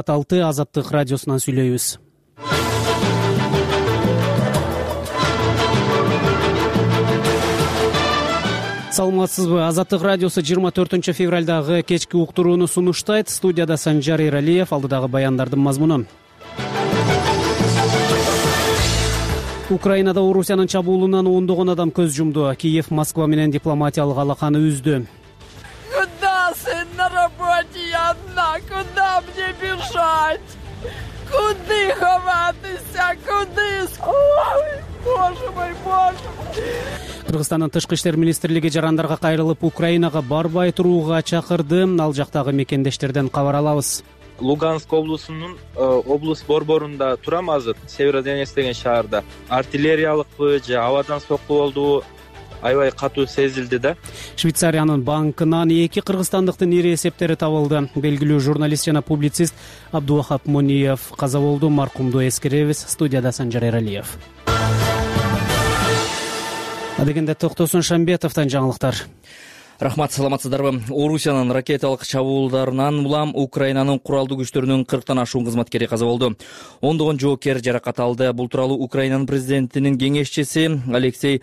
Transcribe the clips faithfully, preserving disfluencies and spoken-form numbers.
алты Азаттык радиосунан сүйлөйбүз. Саламатсызбы? Азаттык радиосу жыйырма төртүнчү февралдагы кечки уктурууну сунуштайт. Студияда Санжар Эралиев, алдыдагы баяндардын мазмуну. Украинада Орусиянын чабуулунан ондогон адам көз жумду. Киев Москва менен дипломатиялык алаканы үздү. Куда, сын, на работе я одна? Куда мне бежать? Куды ховатися? Куды? Ой, боже мой, боже. Кыргызстандын тышкы иштер министрлиги жарандарга кайрылып, Украинага барбай турууга чакырды. Ал жактагы мекендештерден кабар алабыз. Луганск облусунун облус борборунда турам азыр, Северодонецк деген шаарда. Артиллериялыкпы же абадан сокку болдубу аябай катуу сезилди да. Швейцариянын банкынан эки кыргызстандыктын ири эсептери табылды. Белгилүү журналист жана публицист Абдувахап Мониев каза болду. Маркумду эскеребиз. Студияда Санжар Эралиев. Адегенде Токтосун Шамбетовдон жаңылыктар. Рахмат, саламатсыздарбы? Орусиянын ракеталык чабуулдарынан улам Украинанын куралдуу күчтөрүнүн кырктан ашуун кызматкери каза болду. ондогон жоокер жаракат алды. Бул тууралуу Украинанын президентинин кеңешчиси Алексей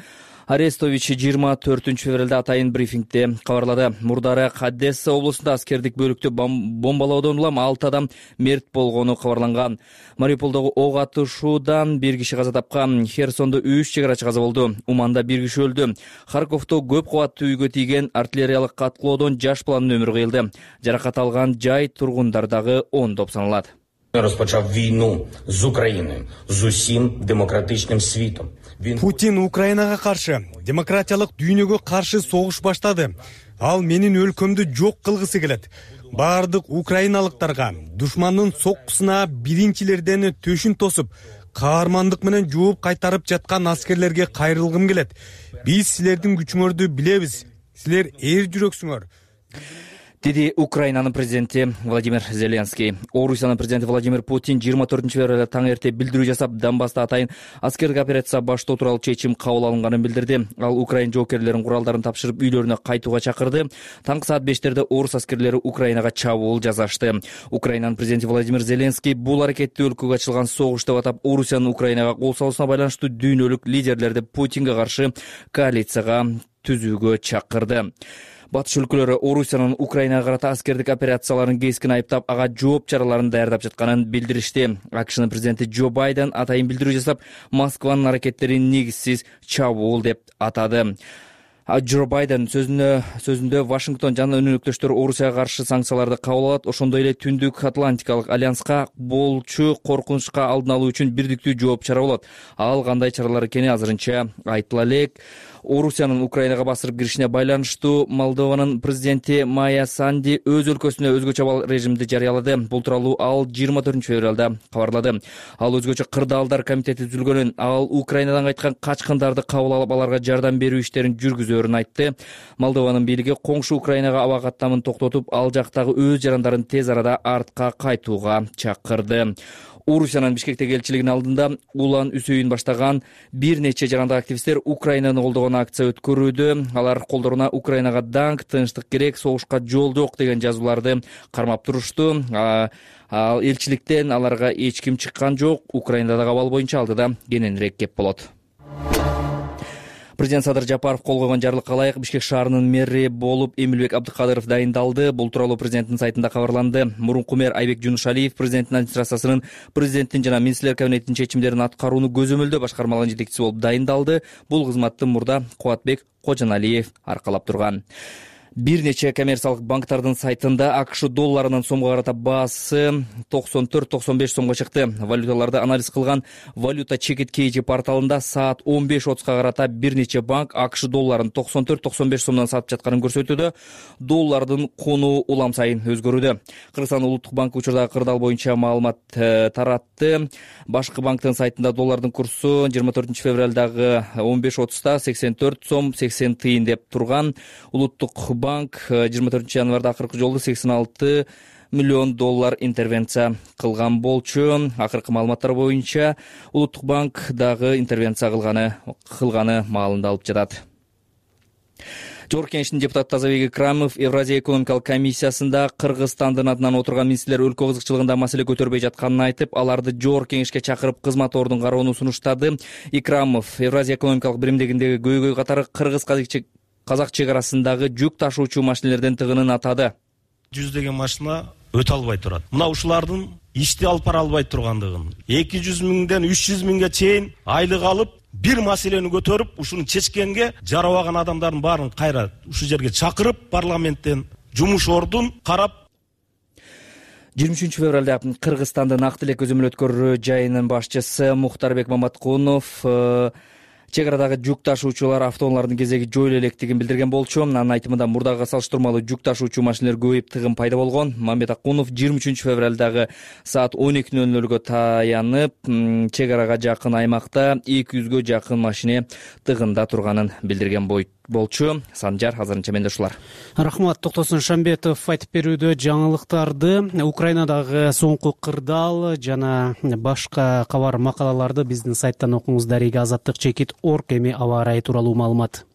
Арестович жыйырма төртүнчү февралда атайын брифингде кабарлады. Мурдары Одесса облусунда аскердик бөлүктү бомбалоодон улам алты адам мерт болгону кабарланган. Мариуполдогу ок атышуудан бир киши каза тапкан. Херсондо үч чегарачы каза болду. Уманда бир киши өлдү. Харьковдо көп кабаттуу үйгө тийген артиллериялык каткылоодон жаш баланын өмүрү кыйылды. Жаракат алган жай тургундар дагы ондоп саналат. Розпочав війну з Україною, з усім демократичним світом. Путин Украинага каршы, демократиялык дүйнөгө каршы согуш баштады. Ал менин өлкөмдү жок кылгысы келет. Бардык украиналыктарга душмандын соккусуна биринчилерден төшүн тосуп, каармандык менен жооп кайтарып жаткан аскерлерге кайрылгым келет. Биз силердин күчүңөрдү билебиз. Силер эр жүрөксүңөр. Деди Украинанын президенти Владимир Зеленский. Орусиянын президенти Владимир Путин жыйырма төртүнчү февралда таң эрте билдирүү жасап, Донбасста атайын аскердик операция баштоо тууралуу чечим кабыл алынганын билдирди. Ал Украин жоокерлерин куралдарын тапшырып үйлөрүнө кайтууга чакырды. Таңкы саат бештерде орус аскерлери Украинага чабуул жасашты. Украинанын президенти Владимир Зеленский бул аракетти өлкөгө ачылган согуш деп атап, Орусиянын Украинага кол салуусуна байланыштуу дүйнөлүк лидерлерди Путинге каршы коалицияга түзүүгө чакырды. Батыш өлкөлөрү Орусиянын Украинага карата аскердик операцияларын кескин айыптап, ага жооп чараларын даярдап жатканын билдиришти. АКШнын президенти Джо Байден атайын билдирүү жасап, Москванын аракеттерин негизсиз чабуул деп атады. Джо Байден сөзүндө сөзүндө Вашингтон жана өнөктөштөр Орусияга каршы санкцияларды кабыл алат, ошондой эле Түндүк Атлантикалык альянска болчу коркунучка алдын алуу үчүн бирдиктүү жооп чара болот. Ал кандай чаралар экени азырынча айтыла элек. Орусиянын Украинага басырып киришине байланыштуу Молдованын президенти Майя Санди өз өлкөсүнө өзгөчө режимди жарыялады. Бул тууралуу ал жыйырма төртүнчү февралда кабарлады. Ал өзгөчө кырдаалдар комитети түзүлгөнүн, ал Украинадан кайткан качкындарды кабыл алып, аларга жардам берүү иштерин жүргүзөөрүн айтты. Молдованын бийлиги коңшу Украинага аба каттамын токтотуп, ал жактагы өз жарандарын тез арада артка кайтууга чакырды. Орусиянын Бишкектеги элчилигинин алдында улан үсөйүн баштаган бир нече жарандык активисттер Украинаны колдогон акция өткөрүүдө. Алар колдоруна Украинага даңк, тынчтык керек, согушка жол жок деген жазууларды кармап турушту. Ал элчиликтен аларга эч ким чыккан жок. Украинадагы абал боюнча алдыда кененирээк кеп болот. Президент Садыр Жапаров кол койгон жарлыкка ылайык Бишкек шаарынын мэри болуп Эмилбек Абдыкадыров дайындалды. Бул тууралуу президенттин сайтында кабарланды. Мурунку мэр Айбек Жунушалиев президенттин администрациясынын президенттин жана министрлер кабинетинин чечимдерин аткарууну көзөмөлдөө башкармалыгынын жетекчиси болуп дайындалды. Бул кызматты мурда Кубатбек Кожоналиев аркалап турган. Бир нече коммерциялык банктардын сайтында АКШ долларынын сомго карата баасы токсон төрт токсон беш сомго чыкты. Валюталарды анализ кылган Валюта Чекит Кейджи порталында саат он беш отузга карата бир нече банк АКШ долларын токсон төрт токсон беш сомдон сатып жатканын көрсөтүүдө. Доллардын кунуу улам сайын өзгөрүүдө. Кыргызстан улуттук банкы учурдагы кырдаал боюнча маалымат таратты. Башкы банктын сайтында доллардын курсу жыйырма төртүнчү февралдагы он беш отузда сексен төрт сом сексен тыйын деп турган. Улуттук банк жыйырма төртүнчү январда акыркы жолу сексен алты миллион доллар интервенция кылган болчу. Акыркы маалыматтар боюнча Улуттук банк дагы интервенция кылганы кылганы маалында алып жатат. Жогорку Кеңештин депутаты Тазабек Икрамов Евразия экономикалык комиссиясында Кыргызстандын атынан отурган министрлер өлкө кызыкчылыгында маселе көтөрбөй жатканын айтып, аларды Жогорку Кеңешке чакырып кызмат ордун кароону сунуштады. Икрамов Евразия экономикалык биримдигиндеги көйгөй катары кыргыз казак чек арасындагы жүк ташуучу машинелерден тыгынын атады. Жүздөгөн машина өтө албай турат. Мына ушулардын ишти алып бара албай тургандыгын, эки жүз миңден үч жүз миңге чейин айлык алып, бир маселени көтөрүп, ушуну чечкенге жарабаган адамдардын баарын кайра ушу жерге чакырып, парламенттен жумуш ордун карап. жыйырма үчүнчү февралда Кыргызстандын Ак Тилек көзөмөл өткөрүү жайынын башчысы Мухтарбек Маматкунов чек арадагы жүк ташуучулар автоунаалардын кезеги жоюла электигин билдирген болчу. Анын айтымында мурдагы салыштырмалуу жүк ташуучу машинелер көбөйүп, тыгын пайда болгон. Мамбет Акунов жыйырма үчүнчү февралдагы саат он эки ноль нөлгө таянып, чек арага жакын аймакта эки жүзгө жакын машине тыгында турганын билдирген болчу. Санжар, азырынча менде ушулар. Рахмат. Токтосун Шамбетов айтып берүүдө жаңылыктарды, Украинадагы соңку кырдаал жана башка кабар макалаларды биздин сайттан окуңуз. Дарига Азаттык чекит орг эми аба ырайы тууралуу маалымат.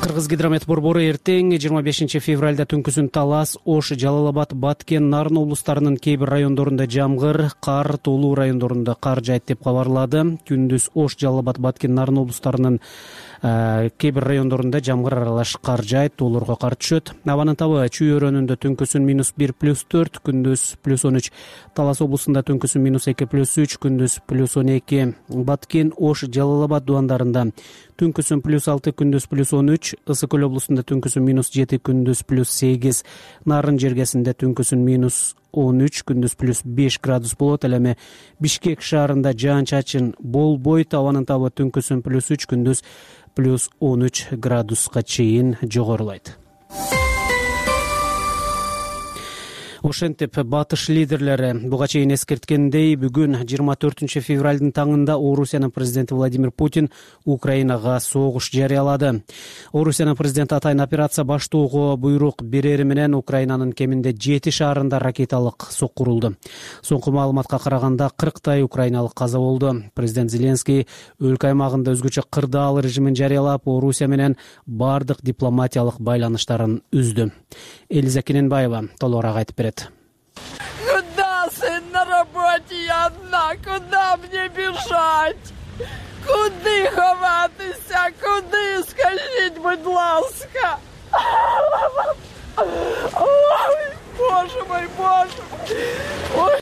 Кыргыз гидромет борбору эртең жыйырма бешинчи февралда түнкүсүн Талас, Ош, Жалал-Абад, Баткен, Нарын облустарынын кээ бир райондорунда жамгыр, кар, Тоолуу райондорунда кар жаайт деп кабарлады. Күндүз Ош, Жалал-Абад, Баткен, Нарын облустарынын кээ бир райондорунда жамгыр аралаш кар жаайт, тоолорго кар түшөт. Абанын табы Чүй өрөөнүндө түнкүсүн минус бир плюс төрт, күндүз плюс он үч. Талас облусунда түнкүсүн минус эки плюс үч, күндүз плюс он эки. Баткен, Ош, Жалал-Абад дубандарында түнкүсүн плюс алты, күндүз плюс он үч. Ысык көл облусунда түнкүсүн минус жети, күндүз плюс сегиз. Нарын жергесинде түнкүсүн минус он үч, күндүз плюс беш градус болот. Ал эми Бишкек шаарында жаан-чачын болбойт. Абанын табы түнкүсүн плюс үч, күндүз плюс он үч градуска чейин жогорулайт. Ошентип батыш лидерлери буга чейин эскерткендей, бүгүн жыйырма төртүнчү февралдын таңында Орусиянын президенти Владимир Путин Украинага согуш жарыялады. Орусиянын президенти атайын операция баштоого буйрук берери менен Украинанын кеминде жети шаарында ракеталык соккурулду. Соңку маалыматка караганда кырктай украиналык каза болду. Президент Зеленский өлкө аймагында өзгөчө кырдаал режимин жарыялап, Орусия менен бардык дипломатиялык байланыштарын үздү. Элиза Кененбаева толугураак айтып берет. Куда, сын, на работе я одна? Куда мне бежать? Куди ховатися? Куди? Скажіть, будь ласка. Ой, боже мой, боже мой.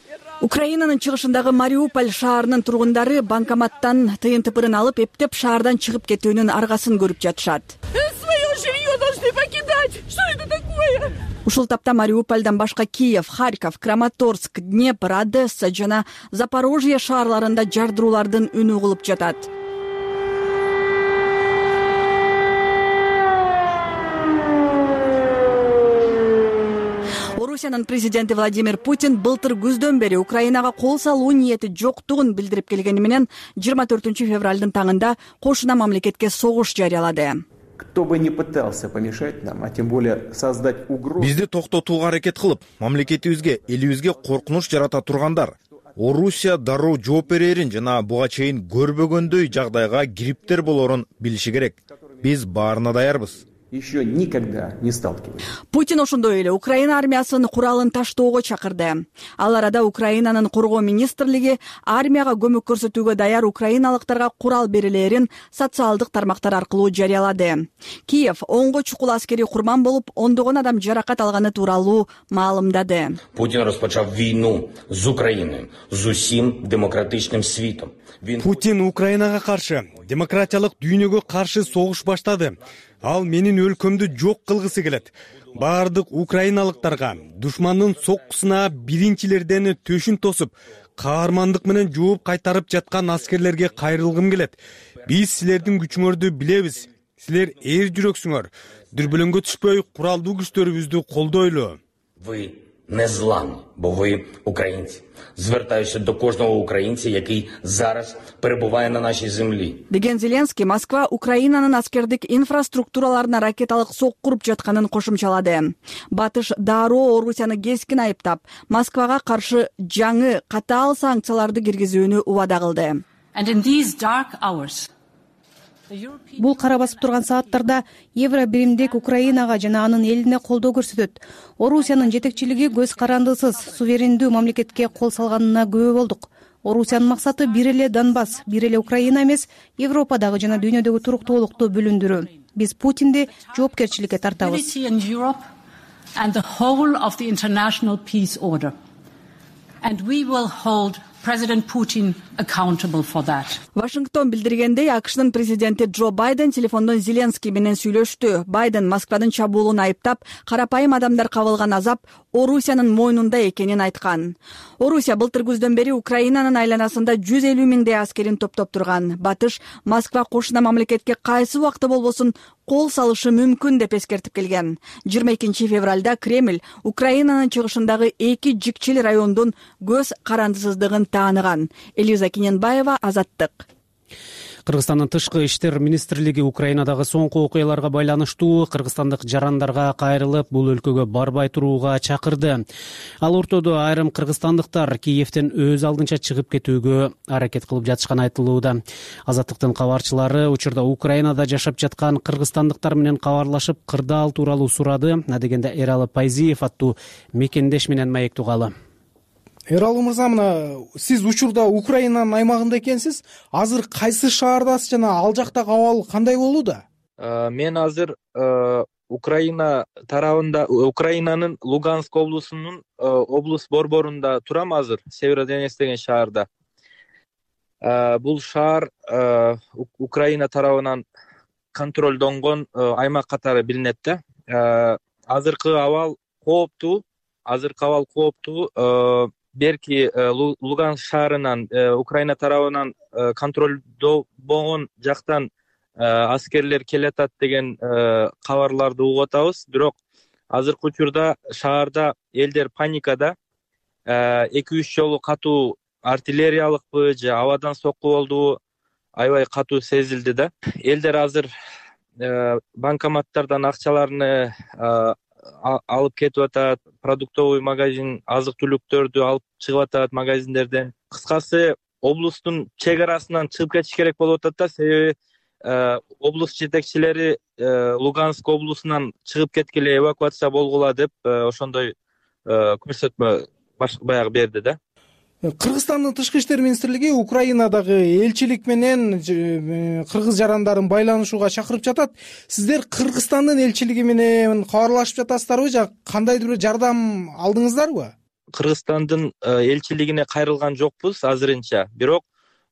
Украинанын чыгышындагы Мариуполь шаарынын тургундары банкоматтан тыйын тыпырын алып, эптеп шаардан чыгып кетүүнүн аргасын көрүп жатышат. Своё жилье должны покидать. Что это такое? Ушул тапта Мариупольдон башка Киев, Харьков, Краматорск, Днепр, Одесса жана Запорожье шаарларында жардыруулардын үнү угулуп жатат. Орусиянын президенти Владимир Путин былтыр күздөн бери Украинага кол салуу ниети жоктугун билдирип келгени менен жыйырма төртүнчү февралдын таңында кошуна мамлекетке согуш жарыялады. Кто бы не пытался помешать нам, а тем более создать угрозу. Бизди токтотууга аракет кылып, мамлекетибизге, элибизге коркунуч жарата тургандар Орусия дароо жооп берерин жана буга чейин көрбөгөндөй жагдайга кириптер болорун билиши керек. Биз баарына даярбыз. Еще никогда не сталкивались. Путин ошондой эле Украина армиясынын куралын таштоого чакырды. Ал арада Украинанын коргоо министрлиги армияга көмөк көрсөтүүгө даяр украиналыктарга курал берилерин социалдык тармактар аркылуу жарыялады. Киев онго чукул аскери курман болуп, ондогон адам жаракат алганы тууралуу маалымдады. Путин розпочав війну з України з усім демократичним світом. Путин Украинага каршы, демократиялык дүйнөгө каршы согуш баштады. Ал менин өлкөмдү жок кылгысы келет. Бардык украиналыктарга душмандын соккусуна биринчилерден төшүн тосуп, каармандык менен жооп кайтарып жаткан аскерлерге кайрылгым келет. Биз силердин күчүңөрдү билебиз. Силер эр жүрөксүңөр. Дүрбөлөңгө түшпөй, куралдуу күчтөрүбүздү колдойлу. Ви незламні, бо ви українці. Звертаюся до кожного українця, який зараз перебуває на нашій землі. Деген Зеленский Москва Украинанын аскердик инфраструктураларына ракеталык соккуруп жатканын кошумчалады. Батыш дароо Орусияны кескин айыптап, Москвага каршы жаңы катаал санкцияларды киргизүүнү убада кылды. And in these dark hours, Бул кара басып турган сааттарда евро биримдик Украинага жана анын элине колдоо көрсөтөт. Орусиянын жетекчилиги көз карандысыз суверендүү мамлекетке кол салганына күбө болдук. Орусиянын максаты бир эле Донбасс, бир эле Украина эмес, Европадагы жана дүйнөдөгү туруктуулукту бүлүндүрүү. Биз Путинди жоопкерчиликке тартабыз. And the whole of the international peace order. And we will hold President Putin accountable for that. Вашингтон билдиргендей, АКШнын президенти Джо Байден телефондон Зеленский менен сүйлөштү. Байден Москвадын чабуулун айыптап, карапайым адамдар кабылган азап Орусиянын мойнунда экенин айткан. Орусия былтыр күздөн бери Украинанын айланасында жүз элүү миңдей аскерин топтоп турган. Батыш Москва кошуна мамлекетке кайсы убакта болбосун кол салышы мүмкүн деп эскертип келген. жыйырма экинчи февралда Кремль Украинанын чыгышындагы эки жикчил райондун көз карандысыздыгын тааныган. Элиза Киненбаева, Азаттык. Кыргызстандын тышкы иштер министрлиги Украинадагы соңку окуяларга байланыштуу кыргызстандык жарандарга кайрылып, бул өлкөгө барбай турууга чакырды. Ал ортодо айрым кыргызстандыктар Киевден өз алдынча чыгып кетүүгө аракет кылып жатышканы айтылууда. Азаттыктын кабарчылары учурда Украинада жашап жаткан кыргызстандыктар менен кабарлашып, кырдаал тууралуу сурады. Адегенде Эралы Пайзиев аттуу мекендеш менен маек тугалы. Эралы мырза, мына сиз учурда Украинанын аймагында экенсиз. Азыр кайсы шаардасыз жана ал жактагы абал кандай болууда? Мен азыр Украина тарабында, Украинанын Луганск облусунун облус борборунда турам азыр, Северодонецк деген шаарда. Бул шаар Украина тарабынан контролдонгон аймак катары билинет да. Азыркы абал кооптуу, азыркы абал кооптуу. Берки Луганск шаарынан Украина тарабынан контролдобогон жактан аскерлер келатат деген кабарларды угуп атабыз. Бирок азыркы учурда шаарда элдер паникада. эки үч жолу катуу артиллериялыкпы же абадан сокку болду, аябай катуу сезилди да. Элдер азыр банкоматтардан акчаларны алып кетип атат, продуктовый магазин азык-түлүктөрдү алып чыгып атат магазиндерден. Кыскасы, облустун чек арасынан чыгып кетиш керек болуп атат да, себеби облус жетекчилери Луганск облусунан чыгып кеткиле, эвакуация болгула деп ошондой көрсөтмө баягы берди да. Кыргызстандын тышкы иштер министрлиги Украинадагы элчилик менен кыргыз жарандарын байланышууга чакырып жатат. Сиздер Кыргызстандын элчилиги менен кабарлашып жатасыздарбы же кандайдыр бир жардам алдыңыздарбы? Кыргызстандын элчилигине кайрылган жокпуз азырынча. Бирок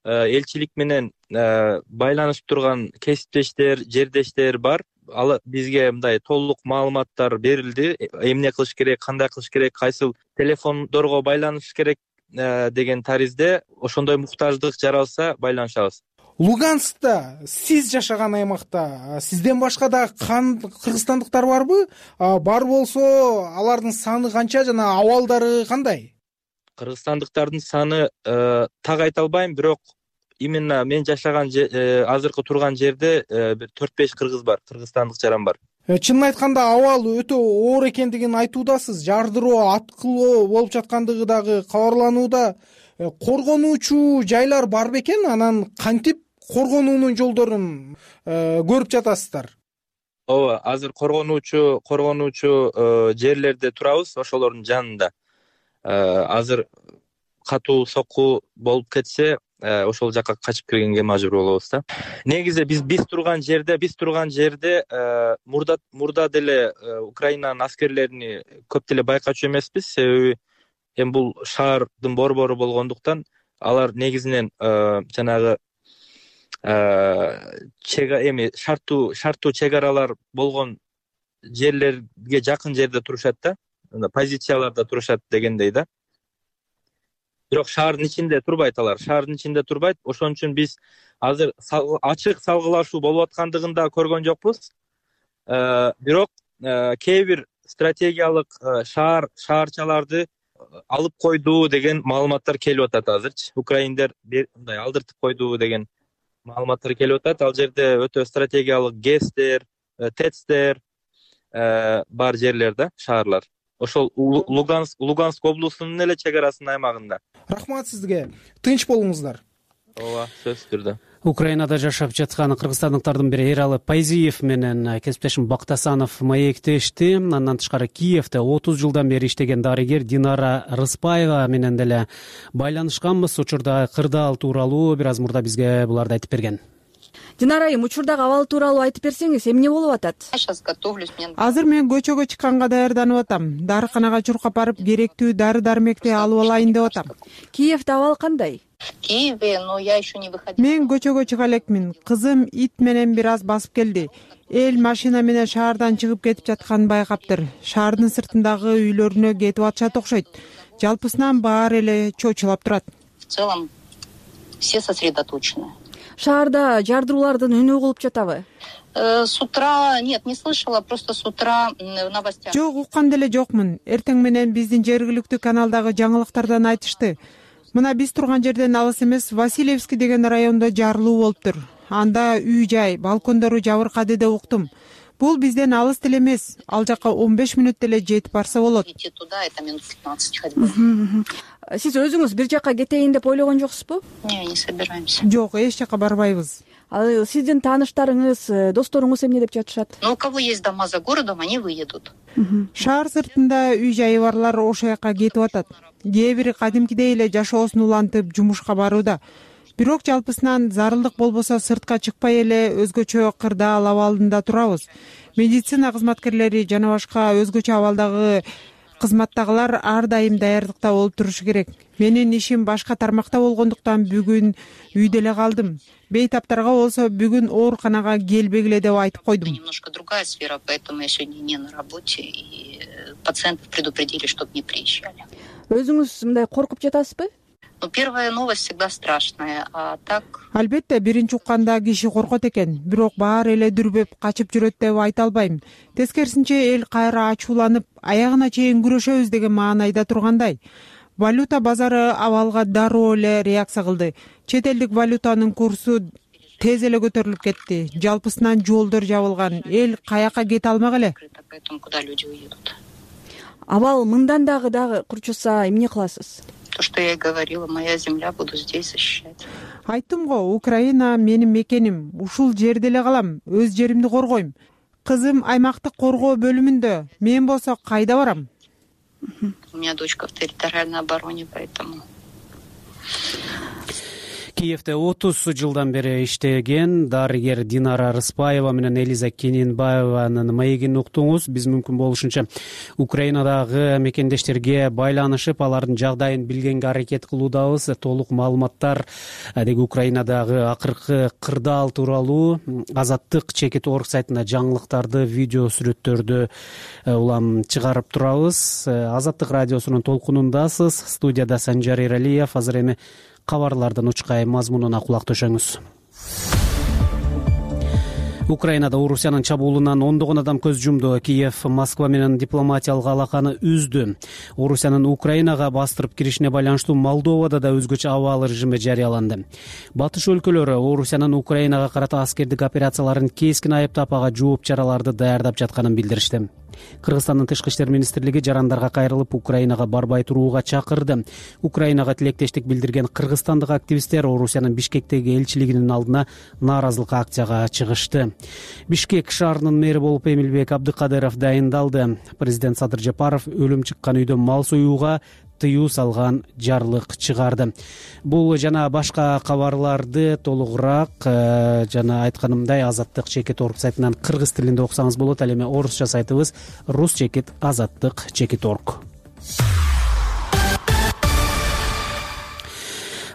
элчилик менен байланышып турган кесиптештер, жердештер бар. Ал бизге мындай толук маалыматтар берилди. Эмне кылыш керек, кандай кылыш керек, кайсыл телефондорго байланыш керек деген таризде ошондой муктаждык жаралса байланышабыз. Луганскта сиз жашаган аймакта сизден башка да кыргызстандыктар барбы? Бар болсо, алардын саны канча жана абалдары кандай? Кыргызстандыктардын саны так айта албайм, бирок именно мен жашаган азыркы турган жерде бир төрт беш кыргыз бар, кыргызстандык жаран бар. Чынын айтканда абал өтө оор экендигин айтуудасыз. Жардыроо, аткылоо болуп жаткандыгы дагы кабарланууда. Коргонуучу жайлар бар бекен? Анан кантип коргонуунун жолдорун көрүп жатасыздар? Ооба, азыр коргонуучу коргонуучу жерлерде турабыз, ошолордун жанында. Азыр катуу сокку болуп кетсе, ошол жакка качып киргенге мажбур болобуз да. Негизи биз биз турган жерде, биз турган жерде мурда мурда деле Украинанын аскерлерини көп деле байкачу эмеспиз, себеби эми бул шаардын борбору болгондуктан алар негизинен жанагы чега эми шарттуу шарттуу чек аралар болгон жерлерге жакын жерде турушат да, позицияларда турушат дегендей да. Бирок шаардын ичинде турбайт алар, шаардын ичинде турбайт. Ошон үчүн биз азыр ачык салгылашуу болуп аткандыгын да көргөн жокпуз. Бирок кээ бир стратегиялык шаар шаарчаларды алып койду деген маалыматтар келип атат азырчы. Украиндер мындай алдыртып койду деген маалыматтар келип атат. Ал жерде өтө стратегиялык ГЭСтер, ТЭЦтер бар жерлер да, шаарлар. Ошол Луганск Луганск облусунун эле чек арасынын аймагында. Рахмат сизге. Тынч болуңуздар. Ооба, сөзсүз түрдө. Украинада жашап жаткан кыргызстандыктардын бири Эралы Пайзиев менен кесиптешим Бактасанов маектешти. Андан тышкары Киевде отуз жылдан бери иштеген дарыгер Динара Рыспаева менен деле байланышканбыз. Учурда кырдаал тууралуу бир аз мурда бизге буларды айтып берген. Динара айым, учурдагы абал тууралуу айтып берсеңиз, эмне болуп атат? Азыр мен көчөгө чыкканга даярданып атам. Дарыканага чуркап барып керектүү дары дармекти алып алайын деп атам. Киевде абал кандай? Мен көчөгө чыга элекмин. Кызым ит менен бир аз басып келди. Эл машина менен шаардан чыгып кетип жатканын байкаптыр. Шаардын сыртындагы үйлөрүнө кетип атышат окшойт. Жалпысынан баары эле чочулап турат. В целом все сосредоточены. Шаарда жардыруулардын үнү угулуп жатабы? С утра нет, не слышала, просто с утра в новостях. Жок, уккан деле жокмун. Эртең менен биздин жергиликтүү каналдагы жаңылыктардан айтышты. Мына биз турган жерден алыс эмес Васильевский деген райондо жарылуу болуптур. Анда үй-жай, балкондору жабыркады деп уктум. Бул бизден алыс деле эмес. Ал жака он беш мүнөт деле жетип барса болот. Идти туда это минут пятнадцать ходьбы. Сиз өзүңүз бир жака кетейин деп ойлогон жоксузбу? Не, не собираемся. Жок, эч жака барбайбыз. Ал сиздин тааныштарыңыз, досторуңуз эмне деп жатышат? Ну, у кого есть дома за городом, они выедут. Шаар сыртында үй-жайы барлар ошол жака кетип атат. Кээ бири кадимкидей эле жашоосун улантып жумушка барууда. Бирок жалпысынан зарылдык болбосо сыртка чыкпай эле өзгөчө кырдаал абалында турабыз. Медицина кызматкерлери жана башка өзгөчө абалдагы кызматтагылар ар дайым даярдыкта болуп турушу керек. Менин ишим башка тармакта болгондуктан бүгүн үйдө эле калдым. Бейтаптарга болсо бүгүн ооруканага келбегиле деп айтып койдум. Немножко другая сфера, поэтому я сегодня не на работе, и пациентов предупредили, чтобы не приезжали. Өзүңүз мындай коркуп жатасызбы? Ну, первая новость всегда страшная, а так... Албетте, биринчи укканда киши коркот экен, бирок баары эле дүрбөп качып жүрөт деп айта албайм. Тескерисинче эл кайра ачууланып, аягына чейин күрөшөбүз деген маанайда тургандай. Валюта базары абалга дароо эле реакция кылды. Чет элдик валютанын курсу тез эле көтөрүлүп кетти. Жалпысынан жолдор жабылган, эл каяка кете алмак эле. Поэтому куда люди уедут? Абал мындан дагы дагы курчуса эмне кыласыз? То, что я и говорила, моя земля, буду здесь защищать. Айттым го, Украина менин мекеним. Ушул жерде эле калам, өз жеримди коргойм. Кызым аймактык коргоо бөлүмүндө. Мен болсо кайда барам? У меня дочка в территориальной обороне, поэтому... Киевде отуз жылдан бери иштеген дарыгер Динара Рыспаева менен Элиза Кененбаеванын маегин уктуңуз. Биз мүмкүн болушунча Украинадагы мекендештерге байланышып, алардын жагдайын билгенге аракет кылуудабыз. Толук маалыматтар деги Украинадагы акыркы кырдаал тууралуу Азаттык чекит орг сайтында жаңылыктарды, видео сүрөттөрдү улам чыгарып турабыз. Азаттык радиосунун толкунундасыз. Студияда Санжар Эралиев. Азыр эми кабарлардын учкай мазмунуна кулак төшөңүз. Украинада Орусиянын чабуулунан ондогон адам көз жумду. Киев Москва менен дипломатиялык алаканы үздү. Орусиянын Украинага бастырып киришине байланыштуу Молдовада да өзгөчө абал режими жарыяланды. Батыш өлкөлөрү Орусиянын Украинага карата аскердик операцияларын кескин айыптап, ага жооп чараларды даярдап жатканын билдиришти. Кыргызстандын тышкы иштер министрлиги жарандарга кайрылып Украинага барбай турууга чакырды. Украинага тилектештик билдирген кыргызстандык активисттер Орусиянын Бишкектеги элчилигинин алдына нааразылык акцияга чыгышты. Бишкек шаарынын мэри болуп Эмилбек Абдыкадыров дайындалды. Президент Садыр Жапаров өлүм чыккан үйдө мал союуга тыюу салган жарлык чыгарды. Бул жана башка кабарларды толугураак жана айтканымдай Азаттык чекит орг сайтынан кыргыз тилинде окусаңыз болот. Ал эми орусча сайтыбыз рус чекит азаттык чекит орг.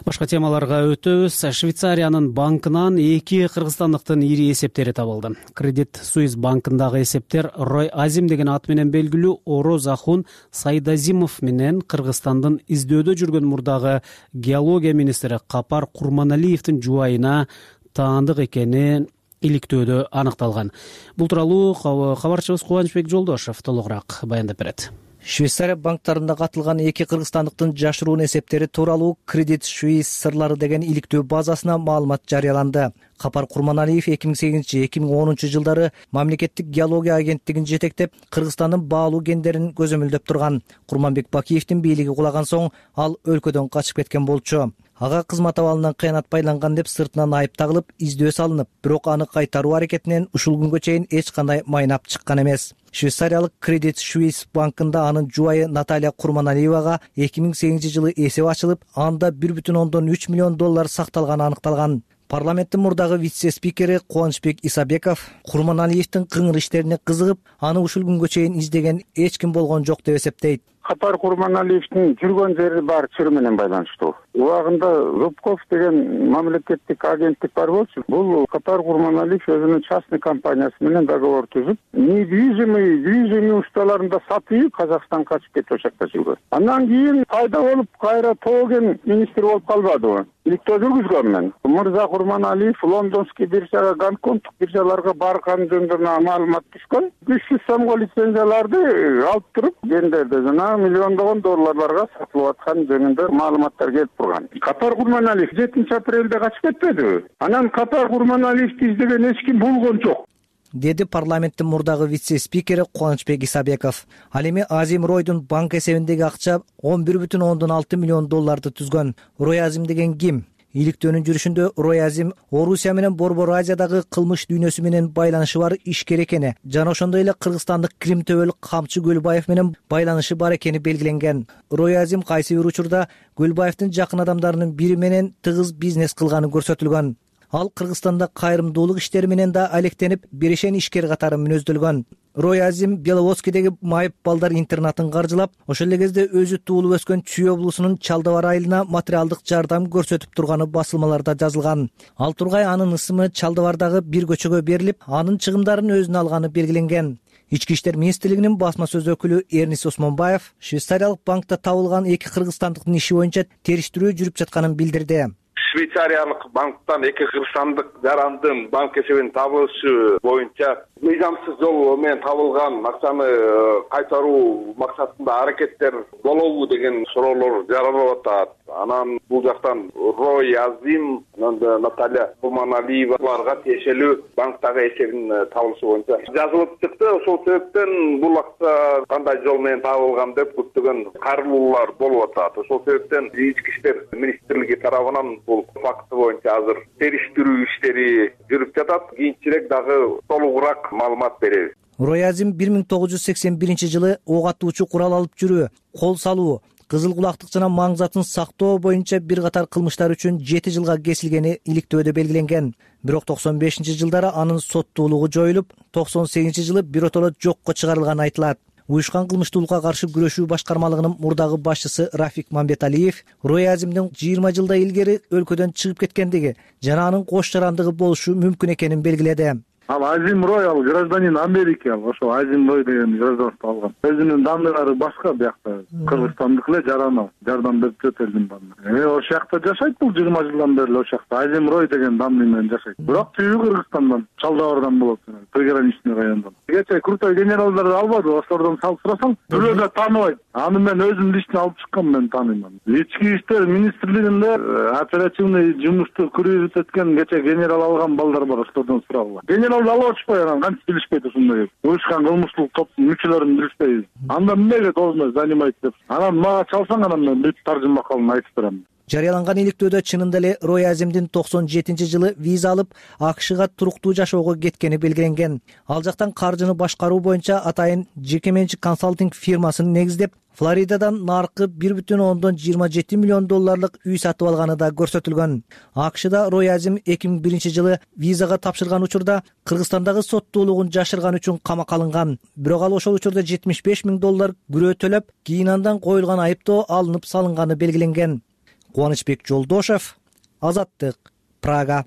Башка темаларга өтөбүз. Швейцариянын банкынан эки кыргызстандыктын ири эсептери табылды. Кредит Суisse банкындагы эсептер Рой Азим деген ат менен белгилүү Ороз Ахун Сайдазимов менен Кыргызстандын издөөдө жүргөн мурдагы геология министри Капар Курманалиевдин жубайына таандык экени иликтөөдө аныкталган. Бул тууралуу кабарчыбыз Кубанычбек Жолдошев толугураак баяндап берет. Швейцария банктарында катылган эки кыргызстандыктын жашыруун эсептери тууралуу Credit Suisse сырлары деген иликтөө базасына маалымат жарыяланды. Капар Курманалиев эки миң сегизинчи эки миң онунчу жылдары мамлекеттик геология агенттигин жетектеп, Кыргызстандын баалуу кендерин көзөмөлдөп турган. Курманбек Бакиевдин бийлиги кулаган соң ал өлкөдөн качып кеткен болчу. ага кызмат абалынан кыянат байланган деп сыртынан айып тагылып издөө салынып, бирок аны кайтаруу аракетинен ушул күнгө чейин эч кандай майнап чыккан эмес. Швейцариялык Credit Suisse банкында анын жубайы Наталья Курманалиевага эки миң сегизинчи жылы эсеп ачылып, анда бир бүтүн ондон үч миллион доллар сакталганы аныкталган. Парламенттин мурдагы вице-спикери Кубанычбек Исабеков Курманалиевдин кыңыр иштерине кызыгып, аны ушул күнгө чейин издеген эч ким болгон жок деп эсептейт. Капар Курманалиевдин жүргөн жери бар чыр менен байланыштуу. Убагында Зубков деген мамлекеттик агенттик бар болчу. Бул Капар Курманалиев өзүнүн частный компаниясы менен договор түзүп, недвижимый, движимый ustalarында сатып Казакстанга качып кетип ошакта жүргөн. Андан кийин пайда болуп кайра тоген министр болуп калбадыбы? Иликтөө жүргүзгөн мен. Мырза Курманалиев лондонский биржага, гонконгдук биржаларга барган жөнүндө маалымат түшкөн. үч жүз сомго лицензияларды алып туруп, гендерде жана миллиондогон долларларга сатылып аткан жөнүндө маалыматтар келип турган. Капар Курманалиев жетинчи апрелде качып кетпедиби? Анан Капар Курманалиевди издеген эч ким болгон жок, деди парламенттин мурдагы вице-спикери Кубанычбек Исабеков. Ал эми Азим Ройдун банк эсебиндеги акча он бир бүтүн ондон алты миллион долларды түзгөн. Рой Азим деген ким? Иликтөөнүн жүрүшүндө Рой Азим Орусия менен Борбор Азиядагы кылмыш дүйнөсү менен байланышы бар ишкер экени жана ошондой эле кыргызстандык Крим төбөлүк Камчы Көлбаев менен байланышы бар экени белгиленген. Рой Азим кайсы бир учурда Көлбаевдин жакын адамдарынын бири менен тыгыз бизнес кылганы көрсөтүлгөн. Ал Кыргызстанда кайрымдуулук иштери менен да алектенип, берешен ишкер катары мүнөздөлгөн. Рой Азим Беловодскийдеги майып балдар интернатын каржылап, ошол эле кезде өзү туулуп өскөн Чүй облусунун Чалдыбар айылына материалдык жардам көрсөтүп турганы басылмаларда жазылган. Ал тургай анын ысымы Чалдыбардагы бир көчөгө берилип, анын чыгымдарын өзүнө алганы белгиленген. Ички иштер министрлигинин басма сөз өкүлү Эрнис Осмонбаев швейцариялык банкта табылган эки кыргызстандыктын иши боюнча териштирүү жүрүп жатканын билдирди. Швейцариялык банктан эки кыргызстандык жарандын банк эсебинин табылышы боюнча мыйзамсыз жол менен табылган акчаны кайтаруу максатында аракеттер болобу деген суроолор жаралып атат. Анан бул жактан Рой Азим, анан Наталья Курманалиеваларга тиешелүү банктагы эсебинин табылышы боюнча жазылып чыкты. Ошол себептен бул акча кандай жол менен табылган деп көптөгөн кайрылуулар болуп атат. Ошол себептен ички иштер министрлиги тарабынан бул факты боюнча азыр териштирүү иштери жүрүп жатат. Кийинчерээк дагы толугураак маалымат беребиз. Рой Азим бир миң тогуз жүз сексен биринчи жылы ок атуучу курал алып жүрүү, кол салуу, кызыл кулактык жана маң затын сактоо боюнча бир катар кылмыштар үчүн жети жылга кесилгени иликтөөдө белгиленген. Бирок токсон бешинчи жылдары анын соттуулугу жоюлуп, токсон сегизинчи жылы биротоло жокко чыгарылганы айтылат. Уюшкан кылмыштуулукка каршы күрөшүү башкармалыгынын мурдагы башчысы Рафик Мамбеталиев Рой Азимдин жыйырма жылдай илгери өлкөдөн чыгып кеткендиги жана анын кош жарандыгы болушу мүмкүн экенин белгиледи. Ал Азим Рой ал гражданин Америки, ал ошо Азим Рой деген гражданство алган. Өзүнүн данныйлары башка биякта. Кыргызстандык эле жаран, жардам берип жүрөт элдин баардыгына. Э, ошол жакта жашайт бул жыйырма жылдан бери ошол жакта Азим Рой деген данный менен жашайт. Бирок түйү Кыргызстандан, Чалдыбардан болот, приграничный райондон. Кечээ крутой генералдарды албады, ошолордон салыштырсаң, бирөө да тааныбайт. Аны мен өзүм лично алып чыккан, мен тааныйм. Ички иштер министрлигинде оперативный жумушту көрүп өткөн кечээ генерал алган балдар бар, ошолордон сурагыла. Генерал алып атышпай, анан кантип билишпейт ушундай уюшкан кылмыштуулук топтун мүчөлөрүн билишпейбиз. Анда эмнеге должность занимать деп. Анан мага чалсаң, анан мен бүт таржыма калын айтып берем. Жарыяланган иликтөөдө чынында эле Рой Азимдин токсон жетинчи жылы виза алып, АКШга туруктуу жашоого кеткени белгиленген. Ал жактан каржыны башкаруу боюнча атайын жеке менчик консалтинг фирмасын негиздеп, Флоридадан наркы бир бүтүн ондон жыйырма жети миллион долларлык үй сатып алганы да көрсөтүлгөн. АКШда Рой Азим эки миң биринчи жылы визага тапшырган учурда Кыргызстандагы соттуулугун жашырган үчүн камакка алынган. Бирок ал ошол учурда жетимиш беш миң доллар күрөө төлөп, кийин андан коюлган айыптоо алынып салынганы белгиленген. Кубанычбек Жолдошев, Азаттык, Прага.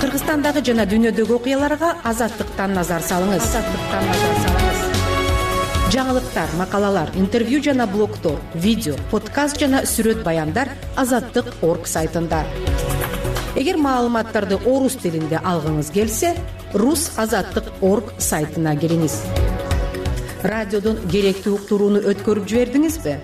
Кыргызстандагы жана дүйнөдөгү окуяларга Азаттыктан назар салыңыз. Азаттыктан назар салыңыз. Жаңылыктар, макалалар, интервью жана блогтор, видео, подкаст жана сүрөт баяндар азаттык точка орг сайтында. Эгер маалыматтарды орус тилинде алгыңыз келсе, рус азаттык точка орг сайтына келиңиз. Радиодон керектүү уктурууну өткөрүп жибердиңизби?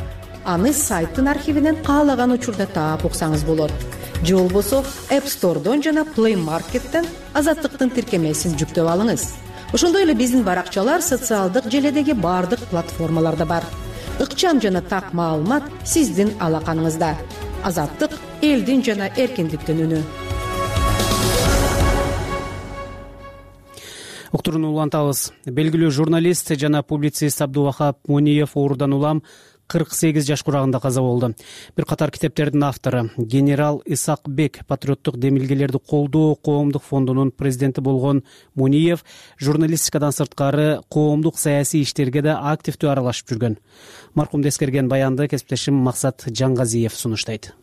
Аны сайттын архивинен каалаган учурда таап уксаңыз болот. Же болбосо App Store'дон жана Play Market'тен Азаттыктын тиркемесин жүктөп алыңыз. Ошондой эле биздин баракчалар социалдык желедеги баардык платформаларда бар. ыкчам жана так маалымат сиздин алаканыңызда. Азаттык — элдин жана эркиндиктин үнү. Уктурууну улантабыз. Белгилүү журналист жана публицист Абдувахап Мониев оорудан улам кырк сегиз жаш курагында каза болду. Бир катар китептердин автору, генерал Исакбек патриоттук демилгелерди колдоо коомдук фондунун президенти болгон Мониев журналистикадан сырткары коомдук саясий иштерге да активдүү аралашып жүргөн. Маркумду эскерген баянды кесиптешим Максат Жаңгазиев сунуштайт.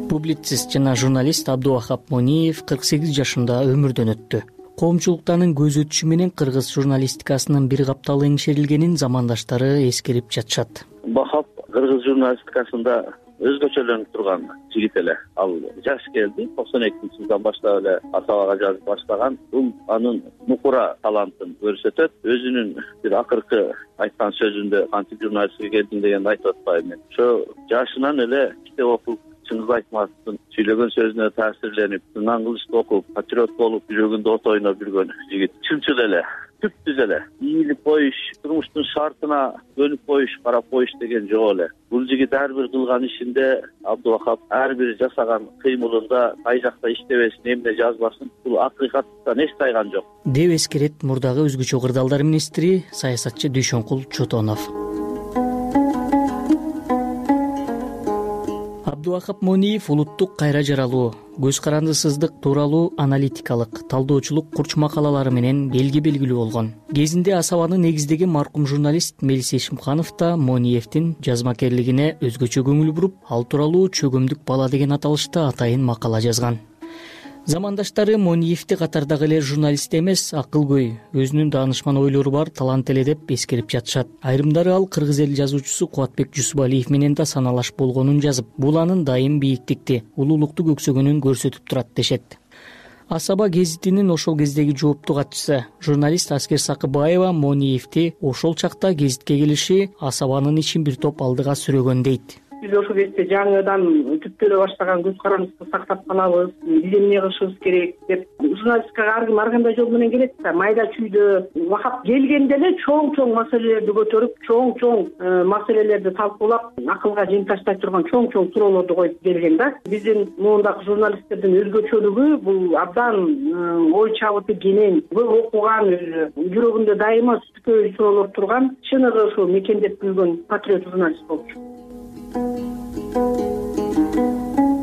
Публицист жана журналист Абдувахап Мониев кырк сегиз жашында өмүрдөн өттү. Коомчулуктан көз өтүшү менен кыргыз журналистикасынын бир капталы эңшерилгенин замандаштары эскерип жатышат. Бахап кыргыз журналистикасында өзгөчөлөнүп турган жигит эле. Ал жаш келди, токсон экинчи жылдан баштап эле Асабага жазып баштаган. Бул анын мукура талантын көрсөтөт. Өзүнүн бир акыркы айткан сөзүндө кантип журналистикке келдим дегенди айтып атпайбы мен. Ошо жашынан эле китеп окуп, чыңгыз айтматовдун сүйлөгөн сөзүнө таасирленип, Нан Кылычты окуп, патриот болуп, жүрөгүндө от ойноп жүргөн жигит. Чынчыл эле, түптүз эле. Ийилип коюш, турмуштун шартына көнүп коюш, карап коюш деген жок эле. Бул жигит ар бир кылган ишинде, Абдувахап ар бир жасаган кыймылында кай жакта иштебесин, эмне жазбасын, бул акыйкаттан эч тайган жок. Деп эскерет мурдагы өзгөчө кырдаалдар министри, саясатчы Дүйшөнкул Чотонов. Абдувахап Мониев улуттук кайра жаралуу, көз карандысыздык тууралуу аналитикалык, талдоочулук курч макалалары менен элге белгилүү болгон. Кезинде Асабаны негиздеген маркум журналист Мелис Эшимканов да Мониевдин жазмакерлигине өзгөчө көңүл буруп, ал тууралуу Чөгөмдүк бала деген аталышта атайын макала жазган. Замандаштары Мониевди катардагы эле журналист эмес, акылгөй, өзүнүн даанышман ойлору бар талант эле деп эскерип жатышат. Айрымдары ал кыргыз эл жазуучусу Кубатбек Жусупалиев менен да саналаш болгонун жазып, бул анын дайым бийиктикти, улуулукту көксөгөнүн көрсөтүп турат дешет. Асаба гезитинин ошол кездеги жооптуу катчысы, журналист Аскер Сакыбаева Мониевди ошол чакта гезитке келиши Асабанын ишин бир топ алдыга сүрөгөн дейт. Биз ошол кезде жаңыдан түптөлө баштаган көз карандыбызды сактап калабыз, биз эмне кылышыбыз керек деп журналистикага ар ким ар кандай жол менен келет да, майда чүйдө Вахап келгенде эле чоң-чоң маселелерди көтөрүп, чоң-чоң маселелерди талкуулап, акылга жем таштай турган чоң-чоң суроолорду коюп келген да. Биздин мундагы журналисттердин өзгөчөлүгү бул абдан ой чабыты кенен, көп окуган, жүрөгүндө дайыма түпкөй суроолор турган, чыныгы ошо мекендеп жүргөн патриот журналист болчу.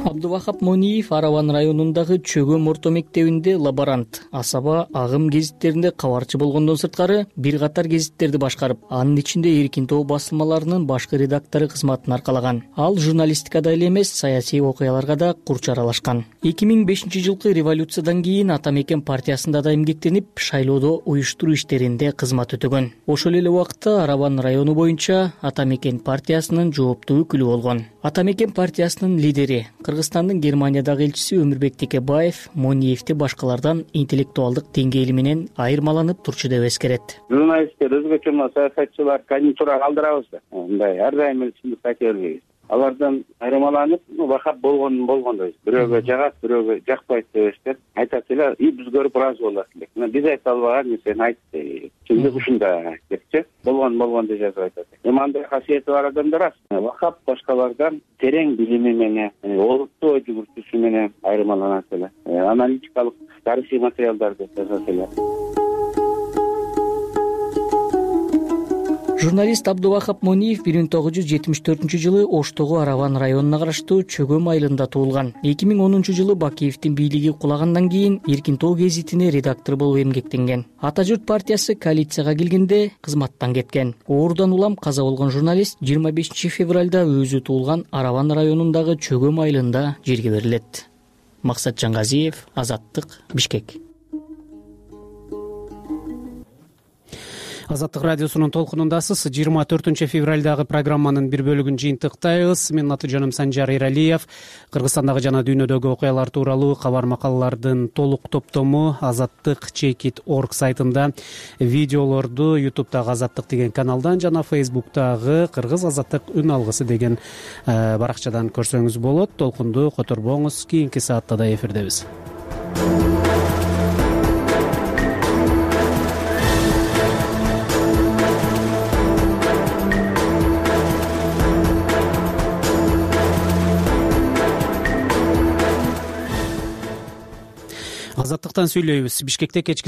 Абдувахап Мониев Араван районундагы Чөгөм орто мектебинде лаборант, Асаба агым гезиттеринде кабарчы болгондон сырткары бир катар гезиттерди башкарып, анын ичинде Эркин тоо басылмаларынын башкы редактору кызматын аркалаган. Ал журналистикада эле эмес, саясий окуяларга да курч аралашкан. эки миң бешинчи жылкы революциядан кийин Ата Мекен партиясында да эмгектенип, шайлоодо уюштуруу иштеринде кызмат өтөгөн. Ошол эле убакытта Араван району боюнча Ата Мекен партиясынын жооптуу өкүлү болгон. Ата Мекен партиясынын лидери, Кыргызстандын Германиядагы элчиси Өмүрбек Текебаев Мониевди башкалардан интеллектуалдык деңгээли менен айырмаланып турчу деп эскерет. Журналисттер өзгөчө саясатчылар конъюнктурага калтырабыз да. Мындай ар дайым эле чындыкты айта бербейбиз. Алардан айырмаланып, Вахап болгон болгондой. Бирөөгө жагат, бирөөгө жакпайт деп эстеп айтат эле, и биз көрүп ыраазы болот элек. Мына биз айта албаган нерсени айтты. Чындык ушунда депчи, болгон болгон деп жазып айтат. Эми андай касиети бар адамдар аз. Вахап башкалардан терең билими менен, олуттуу ой жүгүртүүсү менен айырмаланат эле. Аналитикалык тарыхый материалдарды жазат эле. Журналист Абдувахап Мониев бир миң тогуз жүз жетимиш төртүнчү жылы Оштогу Араван районуна караштуу Чөгөм айылында туулган. эки миң онунчу жылы Бакиевдин бийлиги кулагандан кийин Эркин тоо гезитине редактор болуп эмгектенген. Ата журт партиясы коалицияга келгенде кызматтан кеткен. Оорудан улам каза болгон журналист жыйырма бешинчи февралда өзү туулган Араван районундагы Чөгөм айылында жерге берилет. Максат Жаңгазиев, Азаттык, Бишкек. Азаттык радиосунун толкунундасыз. жыйырма төртүнчү февралдагы программанын бир бөлүгүн жыйынтыктайбыз. Менин аты жөнүм Санжар Эралиев. Кыргызстандагы жана дүйнөдөгү окуялар тууралуу кабар макалалардын толук топтому азаттык чекит точка орг сайтында, видеолорду ютубтагы Азаттык деген каналдан жана фейсбуктагы Кыргыз Азаттык үн алгысы деген баракчадан көрсөңүз болот. Толкунду которбоңуз, кийинки саатта да эфирдебиз. жактан сүйлөйбүз. Бишкекте кечки